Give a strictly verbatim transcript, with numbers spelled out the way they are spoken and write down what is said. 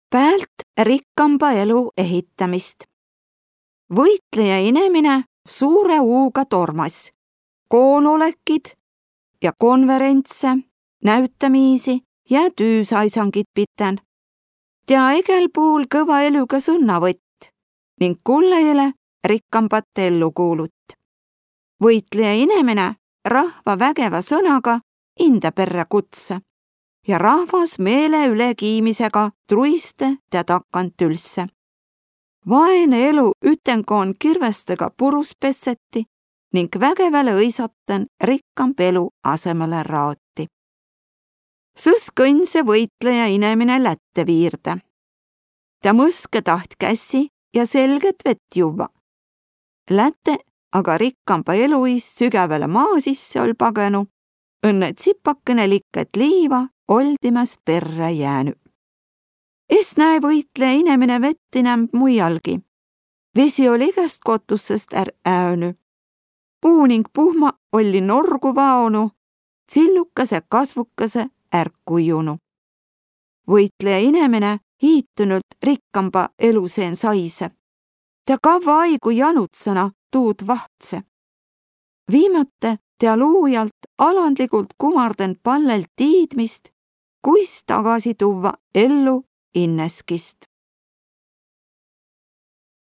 päält rikkamba elu ehitämist. Võitlejä inemine suure uuga tormas koonolekid ja konverentse, näütämiisi ja tüüsaisangit pitän. Tea egäl puul kõva elüga sõnnavõtt ning kullajale rikkambat ellu kuulut. Võitlejä inemine rahva vägeva sõnaga inda perrä kutse ja rahvas meele ülekiimisega truiste tea takkan tülsse. Vaene elu ütenkoon kirvestega purus pesseti ning vägevale õisaten rikkamb elu asemele raoti. Sõs kõnse võitlejä inemine lätte viirde. Tea mõske taht kässi ja selget vett juvva. Lätte aga rikkamba elu iist sügävale maa sisse oll pagenu, õnne tsipakene likket liiva oldimast perrä jäänü. Es näe võitlejä inemine vett inämb muialgi. Vesi oll egäst kotussest är äönü. Puu ning puhma olli norgu vaonu, tsillukase kasvukase är kujunu. Võitlejä inemine hiitünült rikkamba elu seen saise. Tea kavva aigu janutsena tuud vahtse. Viimatte tea luujalt alandligult kumarden pallel tiidmist, kuis tagasi tuvva ellu inneskist.